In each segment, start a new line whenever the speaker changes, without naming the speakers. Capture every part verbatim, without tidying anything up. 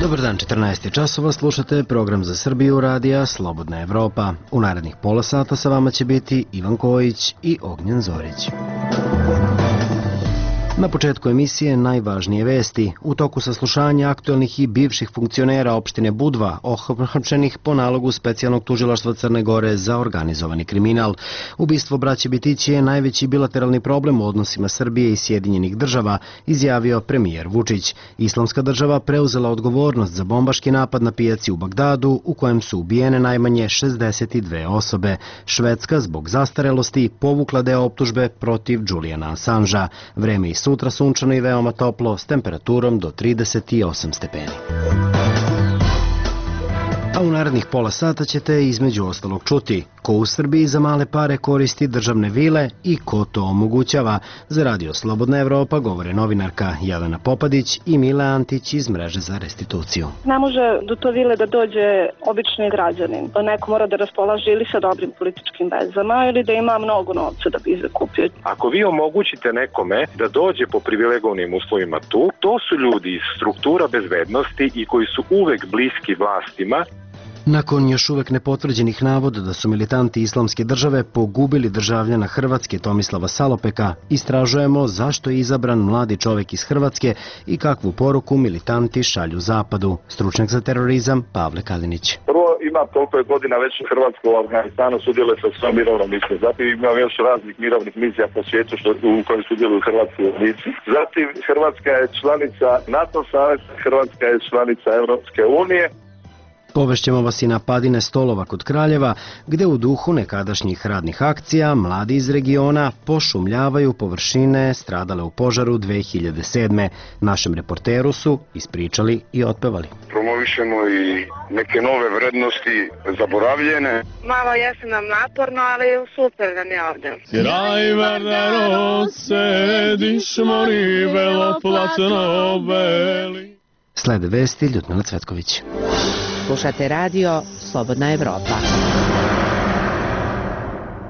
Dobar dan, četrnaest časova, slušate program za Srbiju radija Slobodna Evropa. U narednih pola sata sa vama će biti Ivan Kojić i Ognjen Zorić. Na početku emisije najvažnije vesti. U toku saslušanja aktuelnih i bivših funkcionera opštine Budva, ohapšenih po nalogu specijalnog tužilaštva Crne Gore za organizovani kriminal. Ubistvo braće Bitići je najveći bilateralni problem u odnosima Srbije i Sjedinjenih država, izjavio premijer Vučić. Islamska država preuzela odgovornost za bombaški napad na pijaci u Bagdadu, u kojem su ubijene najmanje šezdeset dve osobe. Švedska, zbog zastarelosti, povukla deo optužbe protiv Julijana Assanža. Vreme i sutra sunčano i veoma toplo, s temperaturom do trideset osam stepeni. A u narednih pola sata ćete između ostalog čuti ko u Srbiji za male pare koristi državne vile i ko to omogućava. Za Radio Slobodna Evropa govore novinarka Jelena Popadić i Mile Antić iz mreže za restituciju.
Ne može do to vile da dođe obični građanin. Neko mora da raspolaže ili sa dobrim političkim vezama ili da ima mnogo novca da bi zakupio.
Ako vi omogućite nekome da dođe po privilegovanim uslovima tu, to su ljudi iz struktura bezbednosti i koji su uvek bliski vlastima.
Nakon još uvek nepotvrđenih navoda da su militanti Islamske države pogubili državljana Hrvatske Tomislava Salopeka, istražujemo zašto je izabran mladi čovek iz Hrvatske i kakvu poruku militanti šalju Zapadu. Stručnjak za terorizam Pavle Kalinić.
Prvo, ima toliko je godina već Hrvatsko u Afganistanu sudjeluje sa svojom mirovnom misijom. Zatim ima još raznih mirovnih misija po svijetu što, u kojoj sudjeluju hrvatski vojnici. Zatim Hrvatska je članica NATO saveza, Hrvatska je članica Europske unije.
Povešćemo vas i na padine stolova kod Kraljeva, gde u duhu nekadašnjih radnih akcija mladi iz regiona pošumljavaju površine stradale u požaru dve hiljade sedme. Našem reporteru su ispričali i otpevali.
Promovišemo i neke nove vrednosti zaboravljene.
Malo jeste nam naporno, ali super nam je ovdje.
Kraj Vardaro sediš mori beloplatno beli.
Slede vesti Ljudmila Cvetković.
Slušate radio Slobodna Evropa.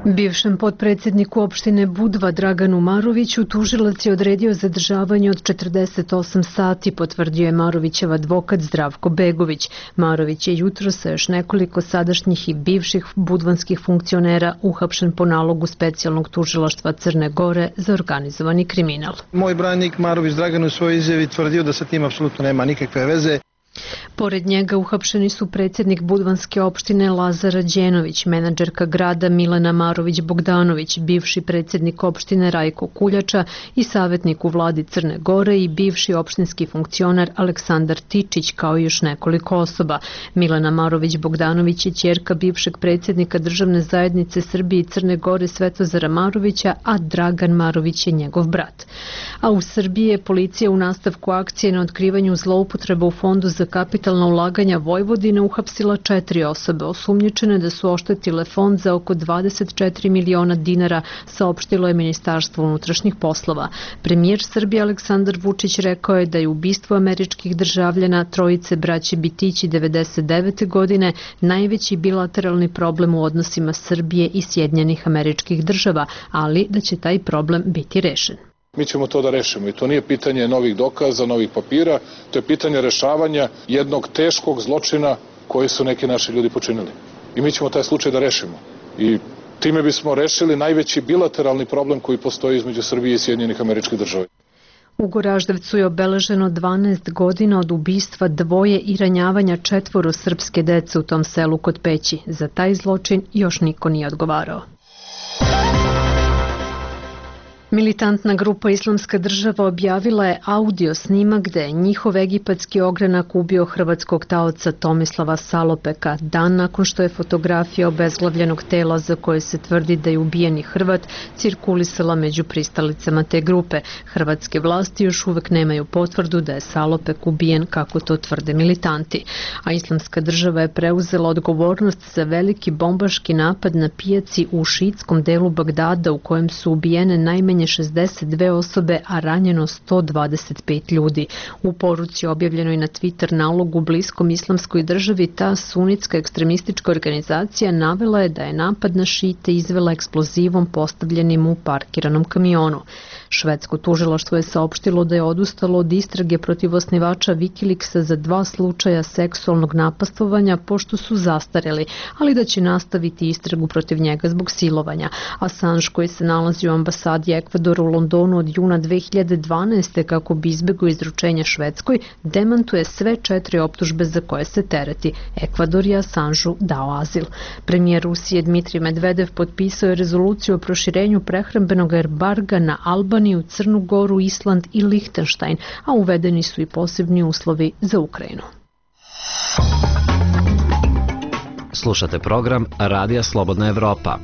Bivšem potpredsjedniku opštine Budva Draganu Maroviću tužilac je odredio zadržavanje od četrdeset osam sati, potvrdio je Marovićev advokat Zdravko Begović. Marović je jutro sa još nekoliko sadašnjih i bivših budvanskih funkcionera uhapšen po nalogu specijalnog tužilaštva Crne Gore za organizovani kriminal.
Moj branik Marović Dragan u svojoj izjavi tvrdio da sa tim apsolutno nema nikakve veze.
Pored njega uhapšeni su predsjednik Budvanske opštine Lazar Đenović, menadžerka grada Milena Marović-Bogdanović, bivši predsjednik opštine Rajko Kuljača i savjetnik u vladi Crne Gore i bivši opštinski funkcionar Aleksandar Tičić, kao i još nekoliko osoba. Milena Marović-Bogdanović je ćerka bivšeg predsjednika državne zajednice Srbije i Crne Gore Svetozara Marovića, a Dragan Marović je njegov brat. A u Srbiji je policija u nastavku akcije na otkrivanju zloupotreba u Fondu za kapitalna ulaganja Vojvodine uhapsila četiri osobe osumnjičene da su oštetile fond za oko dvadeset četiri miliona dinara, saopštilo je Ministarstvo unutrašnjih poslova. Premijer Srbije Aleksandar Vučić rekao je da je ubistvo američkih državljana trojice braće Bitići devedeset devete godine najveći bilateralni problem u odnosima Srbije i Sjedinjenih Američkih Država, ali da će taj problem biti rešen.
Mi ćemo to da rešimo i to nije pitanje novih dokaza, novih papira, to je pitanje rešavanja jednog teškog zločina koji su neki naši ljudi počinili. I mi ćemo taj slučaj da rešimo. I time bismo rešili najveći bilateralni problem koji postoji između Srbije i Sjedinjenih Američkih Država.
U Goraždevcu je obeleženo dvanaest godina od ubistva dvoje i ranjavanja četvoro srpske dece u tom selu kod Peći. Za taj zločin još niko nije odgovarao. Militantna grupa Islamska država objavila je audio snimak gde je njihov egipatski ogranak ubio hrvatskog taoca Tomislava Salopeka, dan nakon što je fotografija obezglavljenog tela za koje se tvrdi da je ubijeni Hrvat cirkulisala među pristalicama te grupe. Hrvatske vlasti još uvek nemaju potvrdu da je Salopek ubijen kako to tvrde militanti. A Islamska država je preuzela odgovornost za veliki bombaški napad na pijaci u šiitskom delu Bagdada u kojem su ubijene najmanje najmanje šezdeset dve osobe, a ranjeno sto dvadeset pet ljudi. U poruci objavljenoj na Twitter nalogu bliskom Islamskoj državi, ta sunitska ekstremistička organizacija navela je da je napad na šite izvela eksplozivom postavljenim u parkiranom kamionu. Švedsko tužilaštvo je saopštilo da je odustalo od istrage protiv osnivača Wikileaksa za dva slučaja seksualnog napastvovanja pošto su zastareli, ali da će nastaviti istragu protiv njega zbog silovanja. Assange, koji se nalazi u ambasadi Ekvadora u Londonu od juna dve hiljade dvanaeste kako bi izbegao izručenje Švedskoj, demantuje sve četiri optužbe za koje se tereti. Ekvador je Assangeu dao azil. Premijer Rusije Dmitrij Medvedev potpisao je rezoluciju o proširenju prehrambenog embarga na Albaniju, Crnu Goru, Island i Lihtenštajn, a uvedeni su i posebni uslovi za Ukrajinu.
Slušate program Radija Slobodna Evropa.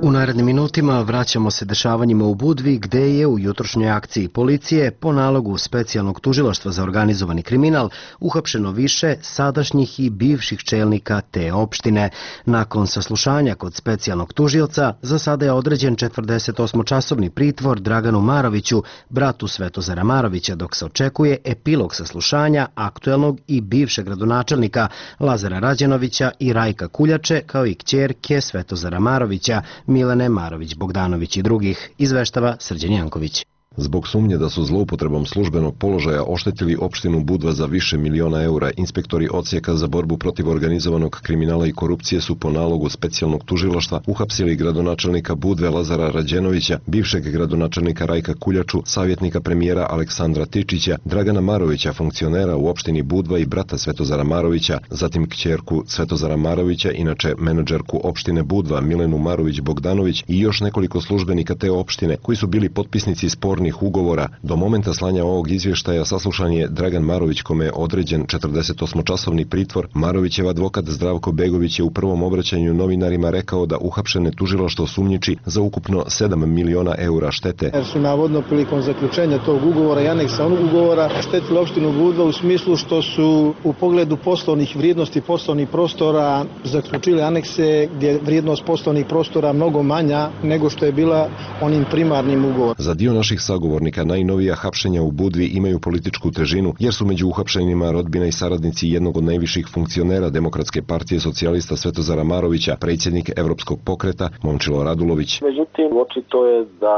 U narednim minutima vraćamo se dešavanjima u Budvi, gde je u jutrošnjoj akciji policije po nalogu specijalnog tužilaštva za organizovani kriminal uhapšeno više sadašnjih i bivših čelnika te opštine. Nakon saslušanja kod specijalnog tužioca, za sada je određen četrdesetosmočasovni pritvor Draganu Maroviću, bratu Svetozara Marovića, dok se očekuje epilog saslušanja aktuelnog i bivšeg gradonačelnika Lazara Rađenovića i Rajka Kuljače, kao i kćerke Svetozara Marovića, Milene Marović-Bogdanović i drugih, izveštava Srđan Janković.
Zbog sumnje da su zloupotrebom službenog položaja oštetili opštinu Budva za više miliona eura, inspektori odsjeka za borbu protiv organizovanog kriminala i korupcije su po nalogu specijalnog tužilaštva uhapsili gradonačelnika Budve Lazara Rađenovića, bivšeg gradonačelnika Rajka Kuljaču, savjetnika premijera Aleksandra Tičića, Dragana Marovića, funkcionera u opštini Budva i brata Svetozara Marovića, zatim kćerku Svetozara Marovića, inače menadžerku opštine Budva Milenu Marović-Bogdanović i još nekoliko službenika te opštine koji su bili potpisnici spornih ugovora. Do momenta slanja ovog izvještaja saslušan je Dragan Marović, kome je određen četrdesetosmočasovni pritvor. Marovićev advokat Zdravko Begović je u prvom obraćanju novinarima rekao da uhapšene tužilaštvo sumnjiči za ukupno sedam miliona eura štete.
Jer su navodno prilikom zaključenja tog ugovora i aneksa onog ugovora štetili opštinu Budva u smislu što su u pogledu poslovnih vrijednosti poslovnih prostora zaključili anekse gdje je vrijednost poslovnih prostora mnogo manja nego što je bila onim primarnim ugovorom.
Za dio naših sagovornika najnovija hapšenja u Budvi imaju političku težinu, jer su među uhapšenima rodbina i saradnici jednog od najviših funkcionera Demokratske partije socijalista Svetozara Marovića, predsjednik Evropskog pokreta Momčilo Radulović.
Međutim, očito je da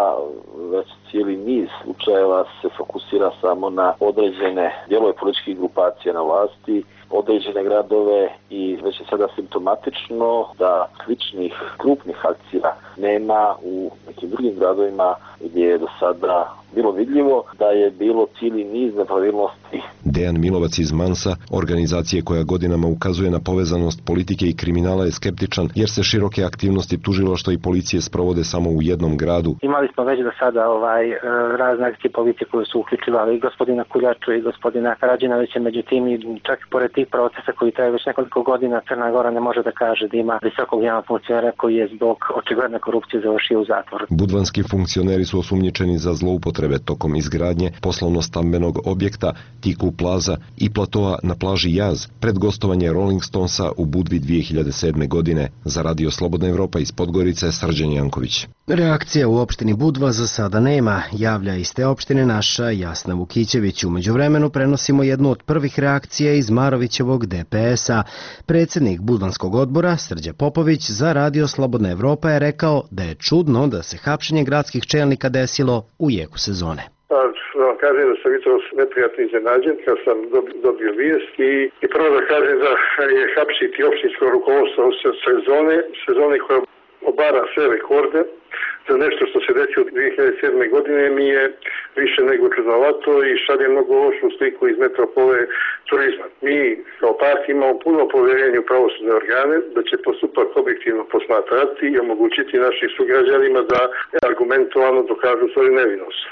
već cijeli niz slučajeva se fokusira samo na određene dijelove političkih grupacija na vlasti, određene gradove i već je sada simptomatično da sličnih krupnih akcija nema u nekim drugim gradovima gdje je do sada bilo vidljivo da je bilo cijeli niz nepravilnosti.
Dejan Milovac iz Mansa, organizacije koja godinama ukazuje na povezanost politike i kriminala, je skeptičan jer se široke aktivnosti tužilaštva i policije sprovode samo u jednom gradu.
Imali smo već do sada ovaj, razne akcije policije koje su uključivali i gospodina Kuljaču i gospodina Rađenovića, međutim i čak pored tih procesa koji traju već nekoliko godina, Crna Gora ne može da kaže da ima visokog javnog funkcionera koji je zbog očigledne korupcije završio u zatvoru.
Budvanski funkcioneri su osumnjičeni za zloupotrebe tokom izgradnje poslovno-stambenog objekta Tiku Plaza i platoa na plaži Jaz pred gostovanje Rolling Stonesa u Budvi dvije hiljade sedme. godine. Za Radio Slobodna Evropa iz Podgorice, Srđan Janković.
Reakcija u opštini Budva za sada nema, javlja iz te opštine naša Jasna Vukićević. U međuvremenu prenosimo jednu od prvih reakcija iz Marovićevog D P S-a. Predsjednik Budvanskog odbora Srđa Popović za Radio Slobodna Evropa je rekao da je čudno da se hapšenje gradskih čelnika desilo u jeku sezone.
Da kažem da sam jutros neprijatno iznenađen kad sam dobio vijest i, i prvo da kažem da je hapsiti opštinsko rukovodstvo u sezone, sezone koja obara sve rekorde za nešto što se desilo dvije hiljade sedme. godine mi je više nego čudnovato i šalje mnogo lošu sliku iz metropole turizma. Mi kao partija imamo puno povjerenje u pravosudne organe da će postupak objektivno posmatrati i omogućiti našim sugrađanima da argumentovano dokažu svoju nevinost.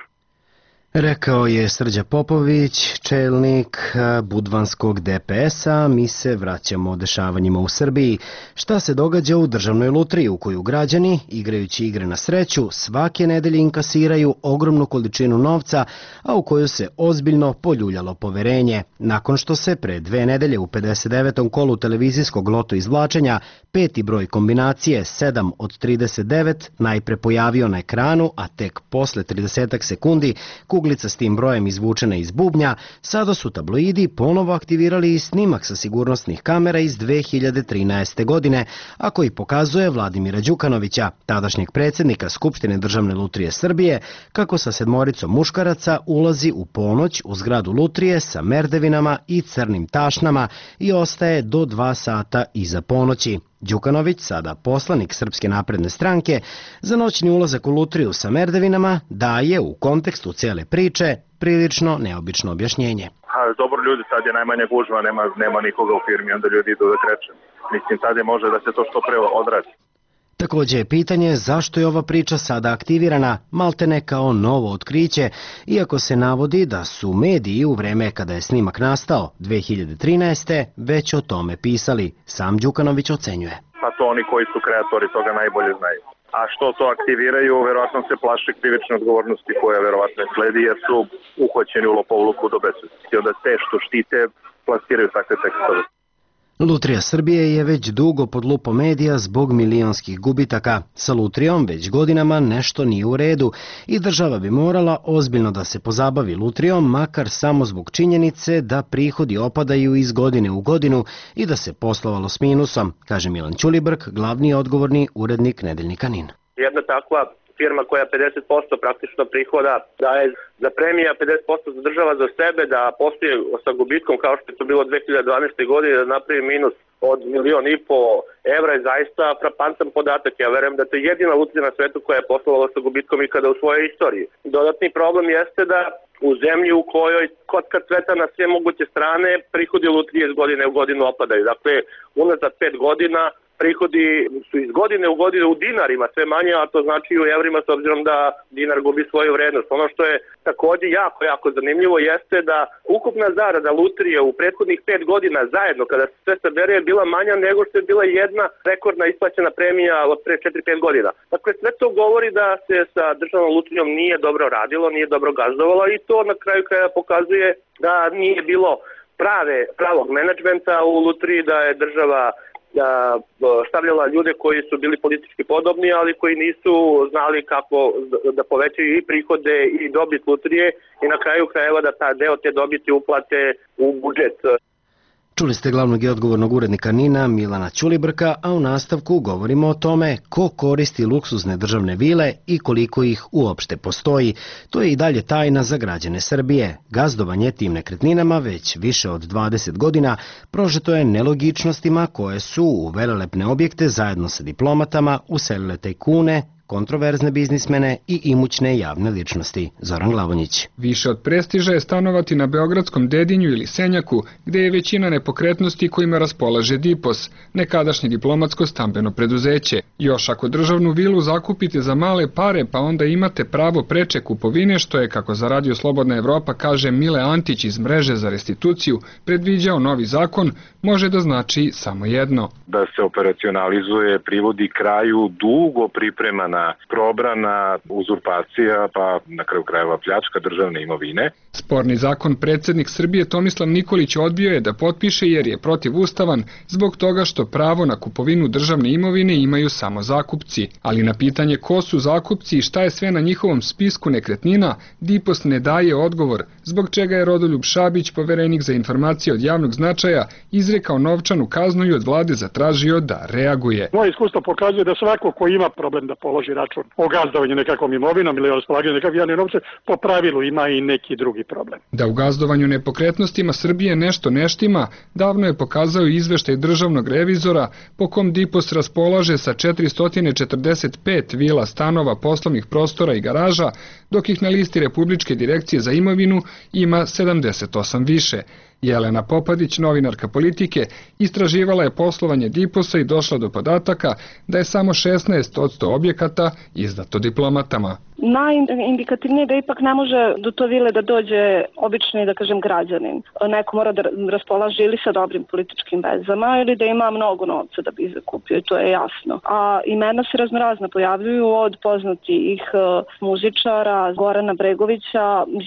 Rekao je Srđa Popović, čelnik budvanskog D P S-a. Mi se vraćamo dešavanjima u Srbiji. Šta se događa u državnoj lutriji u koju građani, igrajući igre na sreću, svake nedelje inkasiraju ogromnu količinu novca, a u koju se ozbiljno poljuljalo poverenje. Nakon što se pre dve nedelje u pedeset devetom kolu televizijskog loto izvlačenja peti broj kombinacije sedam od trideset devet najpre pojavio na ekranu, a tek posle trideset sekundi kuglica s tim brojem izvučena iz bubnja, sada su tabloidi ponovo aktivirali i snimak sa sigurnosnih kamera iz dve hiljade trinaeste. godine, a koji pokazuje Vladimira Đukanovića, tadašnjeg predsjednika Skupštine Državne lutrije Srbije, kako sa sedmoricom muškaraca ulazi u ponoć u zgradu lutrije sa merdevinama i crnim tašnama i ostaje do dva sata iza ponoći. Đukanović, sada poslanik Srpske napredne stranke, za noćni ulazak u lutriju sa merdevinama daje u kontekstu cijele priče prilično neobično objašnjenje.
A, dobro, ljudi, sad je najmanja gužva, nema, nema nikoga u firmi, onda ljudi idu da kreću. Mislim, sad je može da se to što pre odradi.
Također je pitanje zašto je ova priča sada aktivirana, maltene kao novo otkriće, iako se navodi da su mediji u vreme kada je snimak nastao dve hiljade trinaeste. već o tome pisali. Sam Đukanović ocenjuje.
Pa to oni koji su kreatori toga najbolje znaju. A što to aktiviraju, verovatno se plaše krivične odgovornosti koja verovatno sledi, jer su uhoćeni u lopovluku do besvesti. Onda te što štite plasiraju takve tekstove.
Lutrija Srbije je već dugo pod lupom medija zbog milionskih gubitaka. Sa lutrijom već godinama nešto nije u redu i država bi morala ozbiljno da se pozabavi lutrijom, makar samo zbog činjenice da prihodi opadaju iz godine u godinu i da se poslovalo s minusom, kaže Milan Ćulibrk, glavni odgovorni urednik Nedeljnika Nin.
Jedna takva firma koja pedeset posto praktično prihoda daje za premija, pedeset posto za država za sebe, da postoje sa gubitkom kao što je to bilo dve hiljade dvanaeste. godine, da napravi minus od milion i po evra je zaista frapantan podatak. Ja verujem da to je jedina lutrija na svetu koja je poslovala sa gubitkom i kada u svojoj istoriji. Dodatni problem jeste da u zemlji u kojoj kotka cveta na sve moguće strane, prihodi lutrije iz godine u godinu opadaju. Dakle, unazad pet godina prihodi su iz godine u godinu u dinarima sve manje, a to znači i u evrima s obzirom da dinar gubi svoju vrednost. Ono što je također jako, jako zanimljivo jeste da ukupna zarada lutrije u prethodnih pet godina zajedno, kada se sve sabere, je bila manja nego što je bila jedna rekordna isplaćena premija od pre četiri pet godina. Dakle, sve to govori da se sa državnom lutrijom nije dobro radilo, nije dobro gazdovalo i to na kraju kraja pokazuje da nije bilo prave, pravog menadžmenta u lutriji, da je država stavljala ljude koji su bili politički podobni, ali koji nisu znali kako da povećaju i prihode i dobit lutrije i na kraju krajeva da ta deo te dobiti uplate u budžet.
Čuli ste glavnog i odgovornog urednika Nina Milana Ćulibrka, a u nastavku govorimo o tome ko koristi luksuzne državne vile i koliko ih uopšte postoji. To je i dalje tajna za građane Srbije. Gazdovanje tim nekretninama već više od dvadeset godina prožeto je nelogičnostima koje su u velelepne objekte zajedno sa diplomatama uselile tajkune, kontroverzne biznismene i imućne javne ličnosti. Zoran Glavonjić.
Više od prestiža je stanovati na beogradskom Dedinju ili Senjaku, gde je većina nepokretnosti kojima raspolaže Dipos, nekadašnje diplomatsko stambeno preduzeće. Još ako državnu vilu zakupite za male pare, pa onda imate pravo preče kupovine, što je, kako za Radio Slobodna Evropa kaže Mile Antić iz Mreže za restituciju, predviđao novi zakon, može da znači samo jedno.
Da se operacionalizuje, privodi kraju dugo pripremana probrana, uzurpacija, pa na kraju krajeva pljačka državne imovine.
Sporni zakon predsjednik Srbije Tomislav Nikolić odbio je da potpiše jer je protivustavan zbog toga što pravo na kupovinu državne imovine imaju samo zakupci. Ali na pitanje ko su zakupci i šta je sve na njihovom spisku nekretnina, Dipos ne daje odgovor, zbog čega je Rodoljub Šabić, poverenik za informacije od javnog značaja, izrekao novčanu kaznu i od vlade zatražio da reaguje.
Moje iskustvo pokazuje da svako ko ima problem da položi račun o gazdovanju nekakvom imovinom ili o raspolaganju nekakvim javnim novcem, po pravilu ima i neki drugi problem.
Da u gazdovanju nepokretnostima Srbije nešto neštima, davno je pokazao izveštaj državnog revizora po kom Dipos raspolaže sa četiristo četrdeset pet vila, stanova, poslovnih prostora i garaža, dok ih na listi Republičke direkcije za imovinu ima sedamdeset osam više. Jelena Popadić, novinarka Politike, istraživala je poslovanje Diposa i došla do podataka da je samo šesnaest posto objekata izdato diplomatama.
Najindikativnije da ipak ne može do to vile da dođe obični, da kažem, građanin. Neko mora da raspolaže ili sa dobrim političkim vezama ili da ima mnogo novca da bi ih zakupio, to je jasno. A imena se raznorazna pojavljuju od poznatih muzičara, Gorana Bregovića,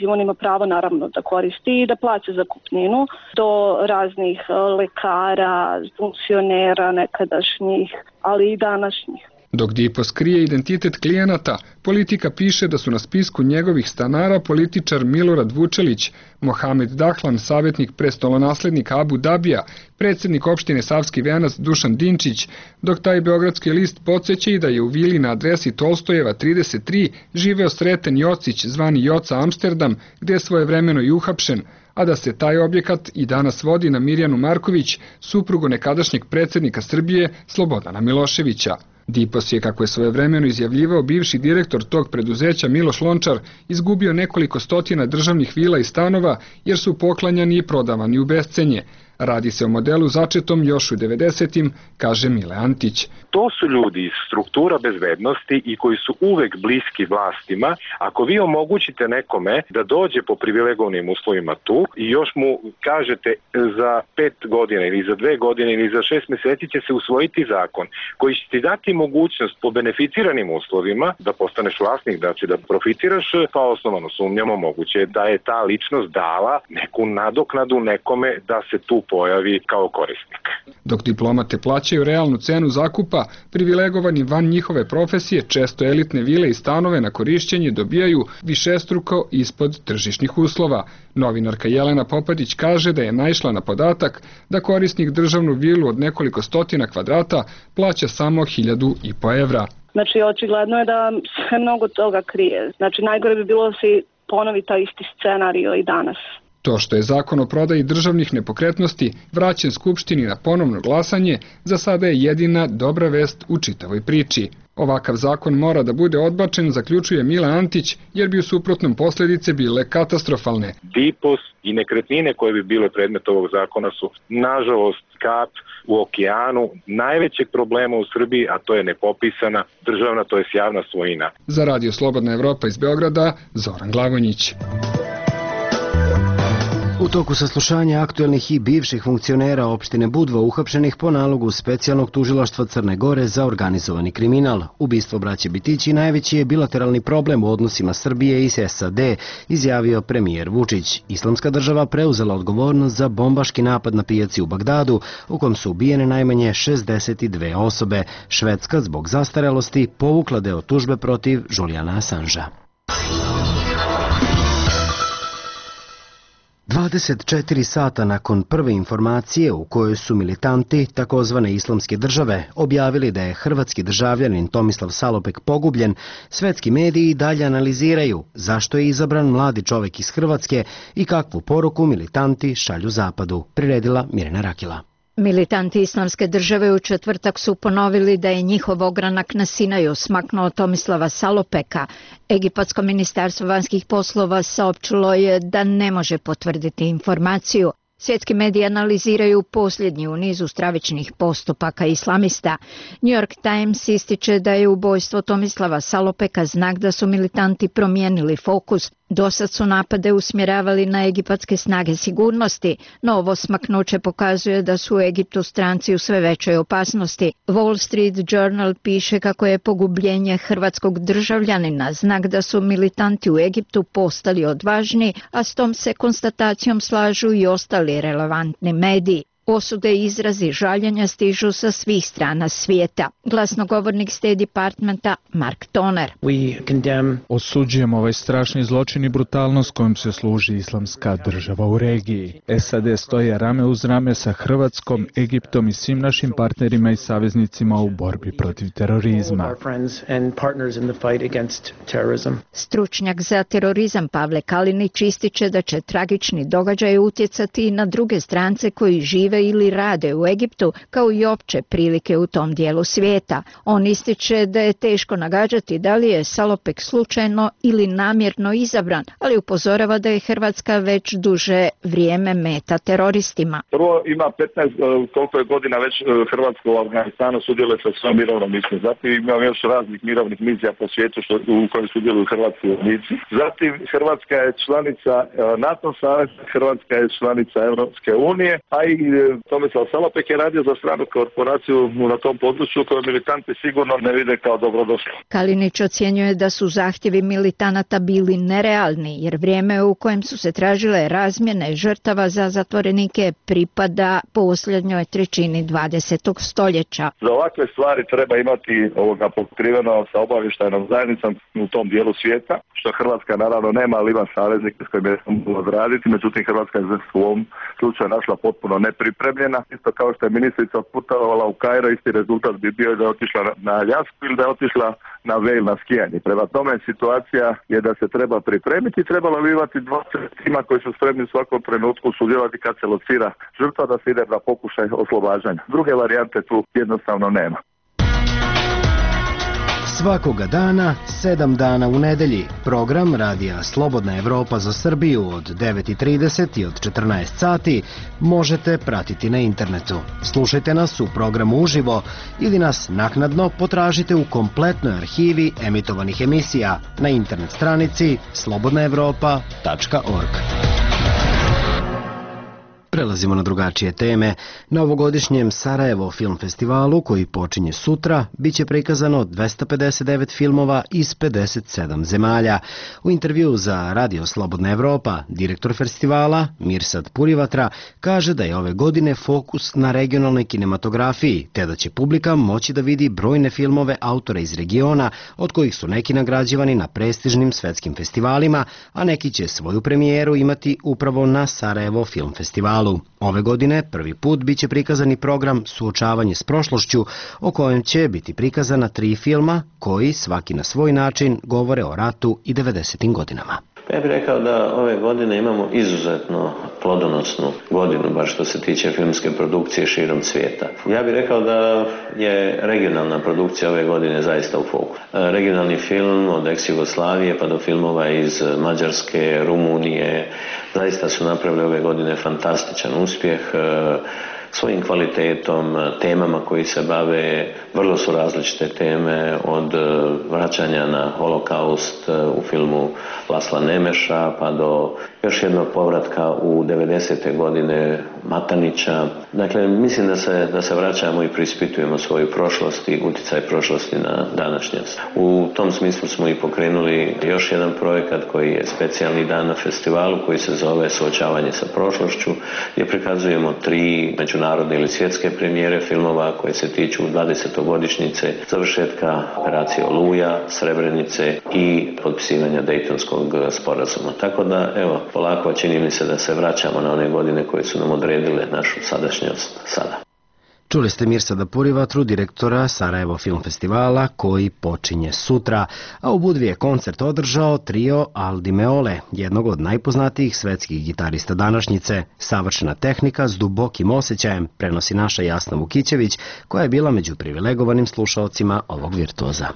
on ima pravo naravno da koristi i da plaća zakupninu, do raznih lekara, funkcionera nekadašnjih, ali i današnjih.
Dok Dipos krije identitet klijenata, Politika piše da su na spisku njegovih stanara političar Milorad Vučelić, Mohamed Dahlan, savjetnik prestolonaslednika Abu Dabija, predsjednik opštine Savski Venac Dušan Dinčić, dok taj beogradski list podsjeća i da je u vili na adresi Tolstojeva trideset tri živeo Sreten Jocić, zvani Joca Amsterdam, gdje je svojevremeno i uhapšen, a da se taj objekat i danas vodi na Mirjanu Marković, suprugu nekadašnjeg predsjednika Srbije Slobodana Miloševića. Dipos je, kako je svojevremeno izjavljivao bivši direktor tog preduzeća Miloš Lončar, izgubio nekoliko stotina državnih vila i stanova jer su poklanjani i prodavani u bescenje. Radi se o modelu začetom još u devedesetim, kaže Mile Antić.
To su ljudi iz struktura bezbednosti i koji su uvek bliski vlastima. Ako vi omogućite nekome da dođe po privilegovanim uslovima tu i još mu kažete za pet godina ili za dve godine ili za šest meseci će se usvojiti zakon koji će ti dati mogućnost po beneficiranim uslovima da postaneš vlasnik, znači da profitiraš, pa osnovano sumnjamo moguće da je ta ličnost dala neku nadoknadu nekome da se tu pojavi kao korisnik.
Dok diplomate plaćaju realnu cenu zakupa, privilegovani van njihove profesije često elitne vile i stanove na korišćenje dobijaju višestruko ispod tržišnih uslova. Novinarka Jelena Popadić kaže da je naišla na podatak da korisnik državnu vilu od nekoliko stotina kvadrata plaća samo hiljadu i po evra.
Znači, očigledno je da se mnogo toga krije. Znači, najgore bi bilo da se ponovi taj isti scenario i danas.
To što je zakon o prodaji državnih nepokretnosti vraćen Skupštini na ponovno glasanje, za sada je jedina dobra vest u čitavoj priči. Ovakav zakon mora da bude odbačen, zaključuje Mila Antić, jer bi u suprotnom posljedice bile katastrofalne.
Dipos i nekretnine koje bi bile predmet ovog zakona su, nažalost, kap u okeanu najvećeg problema u Srbiji, a to je nepopisana državna, to je javna svojina.
Za Radio Slobodna Evropa iz Beograda, Zoran Glagonić.
U toku saslušanja aktuelnih i bivših funkcionera opštine Budva uhapšenih po nalogu specijalnog tužilaštva Crne Gore za organizovani kriminal. Ubistvo braće Bitići najveći je bilateralni problem u odnosima Srbije i S A D, izjavio premijer Vučić. Islamska država preuzela odgovornost za bombaški napad na pijaci u Bagdadu, u kom su ubijene najmanje šezdeset dve osobe. Švedska zbog zastarelosti povukla deo tužbe protiv Julijana Assanža. dvadeset četiri sata nakon prve informacije u kojoj su militanti takozvane Islamske države objavili da je hrvatski državljanin Tomislav Salopek pogubljen, svetski mediji dalje analiziraju zašto je izabran mladi čovek iz Hrvatske i kakvu poruku militanti šalju zapadu, priredila Mirjana Rakila.
Militanti Islamske države u četvrtak su ponovili da je njihov ogranak na Sinaju smaknuo Tomislava Salopeka. Egipatsko ministarstvo vanjskih poslova saopćilo je da ne može potvrditi informaciju. Svjetski mediji analiziraju posljednji u nizu stravičnih postupaka islamista. New York Times ističe da je ubojstvo Tomislava Salopeka znak da su militanti promijenili fokus. Dosad su napade usmjeravali na egipatske snage sigurnosti, no ovo smaknuće pokazuje da su u Egiptu stranci u sve većoj opasnosti. Wall Street Journal piše kako je pogubljenje hrvatskog državljanina znak da su militanti u Egiptu postali odvažni, a s tom se konstatacijom slažu i ostali relevantni mediji. Osude i izrazi žaljenja stižu sa svih strana svijeta. Glasnogovornik State Departmenta Mark Toner.
Osuđujemo ovaj strašni zločin i brutalnost kojom se služi Islamska država u regiji. S A D stoje rame uz rame sa Hrvatskom, Egiptom i svim našim partnerima i saveznicima u borbi protiv terorizma.
Stručnjak za terorizam Pavle Kalinić ističe da će tragični događaj utjecati i na druge strance koji žive žive ili rade u Egiptu, kao i opće prilike u tom dijelu svijeta. On ističe da je teško nagađati da li je Salopek slučajno ili namjerno izabran, ali upozorava da je Hrvatska već duže vrijeme meta teroristima.
Prvo ima petnaest koliko je godina već Hrvatska u Afganistanu sudjeluje sa svojom mirovnom misijom. Zatim ima još raznih mirovnih misija po svijetu što, u kojim sudjeluju hrvatski vojnici. Zatim Hrvatska je članica NATO saveza, Hrvatska je članica Europske unije, a i Tomislav Salopek je radio za stranu korporaciju na tom području koju militanti sigurno ne vide kao dobrodošlo.
Kalinić ocjenjuje da su zahtjevi militanata bili nerealni, jer vrijeme u kojem su se tražile razmjene žrtava za zatvorenike pripada posljednjoj trećini dvadesetog stoljeća.
Za ovakve stvari treba imati ovoga pokriveno sa obavještajnom zajednicom u tom dijelu svijeta, što Hrvatska naravno nema, ali ima saveznike s kojima je moglo odraditi, međutim Hrvatska je u ovom slučaju našla potpuno nepripremljena. Isto kao što je ministrica putovala u Kairo, isti rezultat bi bio da je otišla na Aljasku ili da je otišla na Vail na skijanje. Prema tome situacija je da se treba pripremiti, trebalo bi imati dva tima koji su spremni u svakom trenutku sudjelovati kad se locira žrtva da se ide na pokušaj oslobađanja. Druge varijante tu jednostavno nema.
Svakoga dana, sedam dana u nedelji, program Radija Slobodna Evropa za Srbiju od devet i trideset i od četrnaest sati možete pratiti na internetu. Slušajte nas u programu uživo ili nas naknadno potražite u kompletnoj arhivi emitovanih emisija na internet stranici slobodna evropa tačka org. Prelazimo na drugačije teme. Na ovogodišnjem Sarajevo film festivalu, koji počinje sutra, bit će prikazano dvesta pedeset devet filmova iz pedeset sedam zemalja. U intervju za Radio Slobodna Evropa, direktor festivala Mirsad Purivatra kaže da je ove godine fokus na regionalnoj kinematografiji, te da će publika moći da vidi brojne filmove autora iz regiona, od kojih su neki nagrađivani na prestižnim svetskim festivalima, a neki će svoju premijeru imati upravo na Sarajevo film festivalu. Ove godine prvi put biće prikazani program Suočavanje s prošlošću, o kojem će biti prikazana tri filma koji svaki na svoj način govore o ratu i devedesetim godinama.
Ja bih rekao da ove godine imamo izuzetno plodonosnu godinu, bar što se tiče filmske produkcije širom svijeta. Ja bih rekao da je regionalna produkcija ove godine zaista u fokusu. Regionalni film od ex-Jugoslavije pa do filmova iz Mađarske, Rumunije, zaista su napravili ove godine fantastičan uspjeh. Svojim kvalitetom, temama koji se bave, vrlo su različite teme, od vraćanja na holokaust u filmu Lasla Nemeša pa do još jednog povratka u devedesete godine Matanića. Dakle, mislim da se, da se vraćamo i preispitujemo svoju prošlost i utjecaj prošlosti na današnjost. U tom smislu smo i pokrenuli još jedan projekat koji je specijalni dan na festivalu koji se zove Suočavanje sa prošlošću, gdje prikazujemo tri međunarodne ili svjetske premijere filmova koje se tiču dvadesetogodišnjice završetka operacije Oluja, Srebrenice i potpisivanja Dejtonskog sporazuma. Tako da, evo, polako čini mi se da se vraćamo na one godine koje su nam odredile našu sadašnjost sada.
Čuli ste Mirsada Purivatru, direktora Sarajevo film festivala, koji počinje sutra, a u Budvi je koncert održao trio Aldi Meole, jednog od najpoznatijih svetskih gitarista današnjice. Savršena tehnika s dubokim osjećajem prenosi naša Jasna Vukićević, koja je bila među privilegovanim slušaocima ovog virtuoza.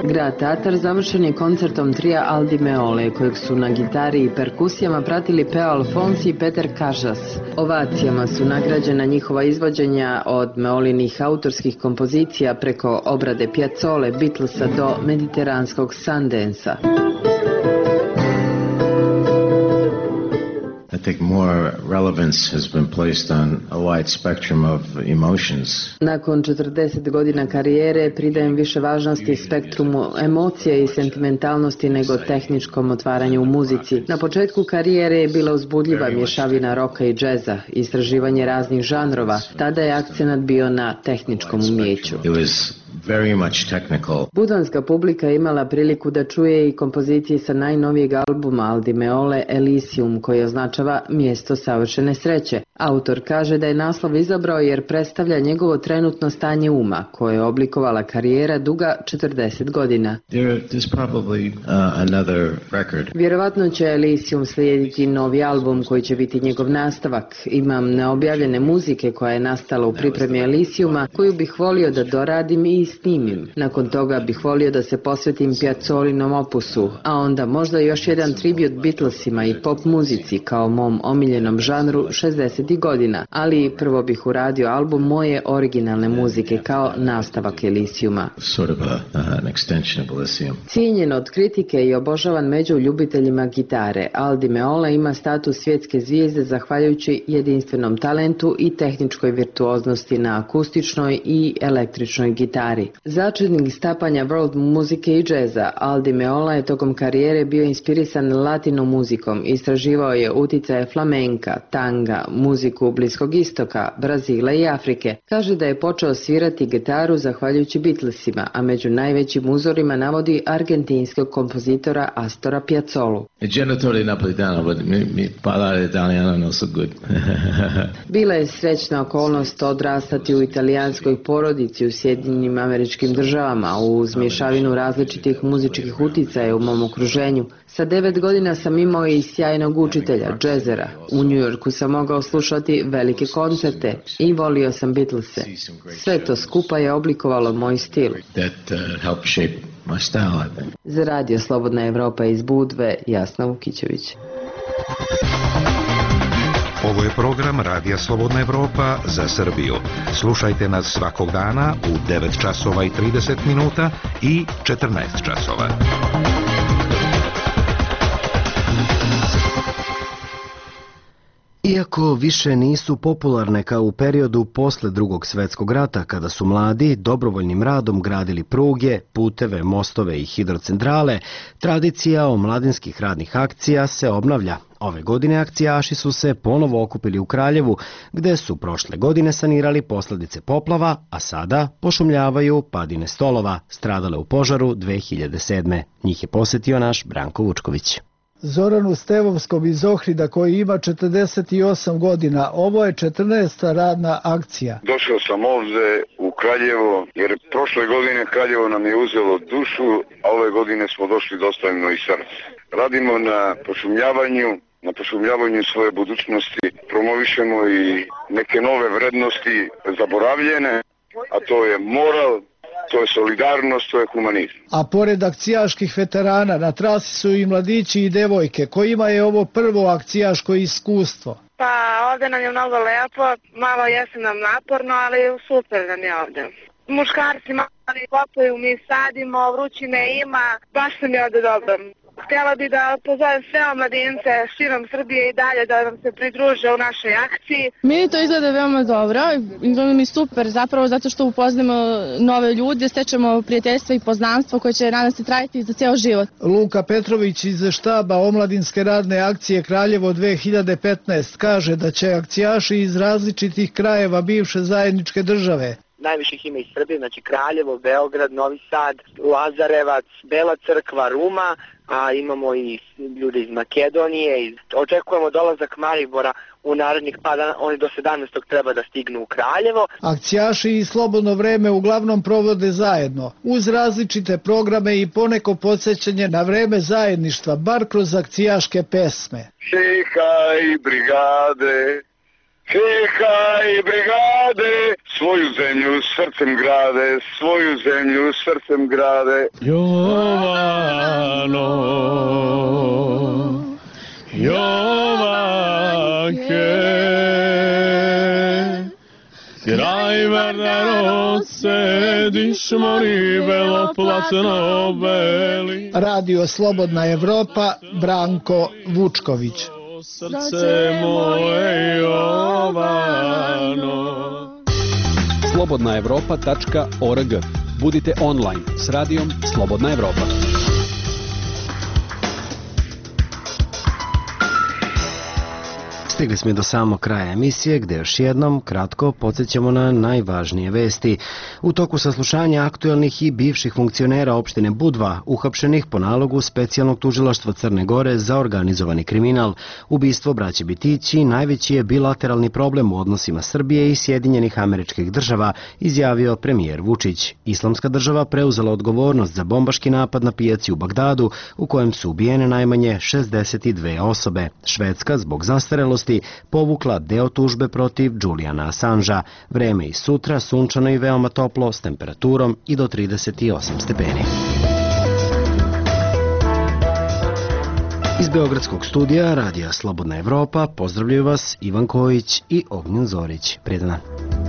Grad Tatar završen je koncertom trija Aldi Meole, kojeg su na gitari i perkusijama pratili Peo Alfonsi i Peter Kažas. Ovacijama su nagrađena njihova izvođenja od Meolinih autorskih kompozicija preko obrade Piazzole, Beatlesa do mediteranskog Sundansa.
I think more relevance has been placed on a wide spectrum of emotions.
Nakon četrdeset godina karijere pridajem više važnosti spektrumu emocije i sentimentalnosti nego tehničkom otvaranju u muzici. Na početku karijere je bila uzbudljiva mješavina roka i džeza, istraživanje raznih žanrova. Tada je akcenat bio na tehničkom umjeću.
It was very much technical.
Budvanska publika je imala priliku da čuje i kompozicije sa najnovijeg albuma Aldi Meole Elysium, koji označava mjesto savršene sreće. Autor kaže da je naslov izabrao jer predstavlja njegovo trenutno stanje uma, koje je oblikovala karijera duga četrdeset godina.
There is probably uh, another record.
Vjerovatno će Elysium slijediti novi album koji će biti njegov nastavak. Imam neobjavljene muzike koja je nastala u pripremi Elysiuma, koju bih volio da doradim i snimim. Nakon toga bih volio da se posvetim Piazzolinom opusu, a onda možda još jedan tribut Beatlesima i pop muzici kao mom omiljenom žanru šezdesetih godina, ali prvo bih uradio album moje originalne muzike kao nastavak Elysiuma.
Sort of a, uh, an extension of Elysium.
Cijenjen od kritike i obožavan među ljubiteljima gitare, Aldi Meole ima status svjetske zvijezde zahvaljujući jedinstvenom talentu i tehničkoj virtuoznosti na akustičnoj i električnoj gitari. Začetnik stapanja world muzike i džeza, Aldi Meola je tokom karijere bio inspirisan latino muzikom, istraživao je uticaje flamenka, tanga, muziku Bliskog istoka, Brazila i Afrike. Kaže da je počeo svirati gitaru zahvaljujući Beatlesima, a među najvećim uzorima navodi argentinskog kompozitora Astora Piazzolu.
Genitore napolitano, but mi, mi parlare italiano non so good.
Bila je srećna okolnost odrastati u italijanskoj porodici u Sjedinjenim Američkim Državama uz mješavinu različitih muzičkih uticaja u mom okruženju. Sa devet godina sam imao i sjajnog učitelja, džezera. U New Yorku sam mogao slušati velike koncerte i volio sam Beatlese. Sve to skupa je oblikovalo moj stil.
That uh, helped shape my style, I think.
Za radio Slobodna Evropa iz Budve, Jasna Vukićević.
Ovo je program Radija Slobodna Evropa za Srbiju. Slušajte nas svakog dana u devet časova i trideset minuta i četrnaest časova.
Iako više nisu popularne kao u periodu posle Drugog svjetskog rata, kada su mladi dobrovoljnim radom gradili pruge, puteve, mostove i hidrocentrale, tradicija omladinskih radnih akcija se obnavlja. Ove godine akcijaši su se ponovo okupili u Kraljevu, gde su prošle godine sanirali posljedice poplava, a sada pošumljavaju padine stolova, stradale u požaru dve hiljade sedme. Njih je posjetio naš Branko Vučković.
Zoranu Stevovskom iz Ohrida koji ima četrdeset osam godina. Ovo je četrnaesta radna akcija.
Došao sam ovdje u Kraljevo jer prošle godine Kraljevo nam je uzelo dušu, a ove godine smo došli dostavljeno i srce. Radimo na pošumljavanju, na pošumljavanju svoje budućnosti, promovišemo i neke nove vrednosti zaboravljene, a to je moral, to je solidarnost, to je humanizam.
A pored akcijaških veterana na trasi su i mladići i devojke, kojima je ovo prvo akcijaško iskustvo.
Pa ovdje nam je mnogo lepo, malo jeste nam naporno, ali super nam je ovdje. Muškarci mali kopaju, mi sadimo, vrućine ima, baš nam je ovdje dobro. Htjela bi da pozovem sve omladince širom Srbije i dalje da nam se pridruže u našoj akciji.
Meni to izgleda veoma dobro, izgleda mi super zapravo zato što upoznamo nove ljude, stečemo prijateljstva i poznanstvo koje će nadam se trajati za ceo život.
Luka Petrović iz štaba Omladinske radne akcije Kraljevo dve hiljade petnaeste kaže da će akcijaši iz različitih krajeva bivše zajedničke države,
najviših ima iz Srbije, znači Kraljevo, Beograd, Novi Sad, Lazarevac, Bela Crkva, Ruma, a imamo i ljude iz Makedonije. I očekujemo dolazak Maribora u narednih pa dana, oni do sedamnaestog treba da stignu u Kraljevo.
Akcijaši i slobodno vreme uglavnom provode zajedno, uz različite programe i poneko podsjećanje na vreme zajedništva, bar kroz akcijaške pesme.
Hej, brigade, hej, brigade, svoju zemlju srcem grade, svoju zemlju srcem grade.
Jovano, Jovanke, kraj Vardaro sediš mori beloplatno beli.
Radio Slobodna Evropa, Branko Vučković.
Srce moje Jovano.
slobodna evropa tačka org. Budite online s radijom Slobodna Evropa.
Stigli smo i do samog kraja emisije gde još jednom kratko podsjećamo na najvažnije vesti. U toku saslušanja aktuelnih i bivših funkcionera opštine Budva, uhapšenih po nalogu specijalnog tužilaštva Crne Gore za organizovani kriminal, ubistvo braće Bitići najveći je bilateralni problem u odnosima Srbije i Sjedinjenih Američkih Država, izjavio premijer Vučić. Islamska država preuzela odgovornost za bombaški napad na pijaci u Bagdadu, u kojem su ubijene najmanje šezdeset dve osobe. Švedska zbog zastarelosti povukla deo tužbe protiv Julijana Assangea. Vreme i sutra sunčano i veoma toplo s temperaturom i do trideset osam stepeni. Iz Beogradskog studija Radija Slobodna Evropa pozdravljaju vas Ivan Kojić i Ognjen Zorić. Prijedan dan.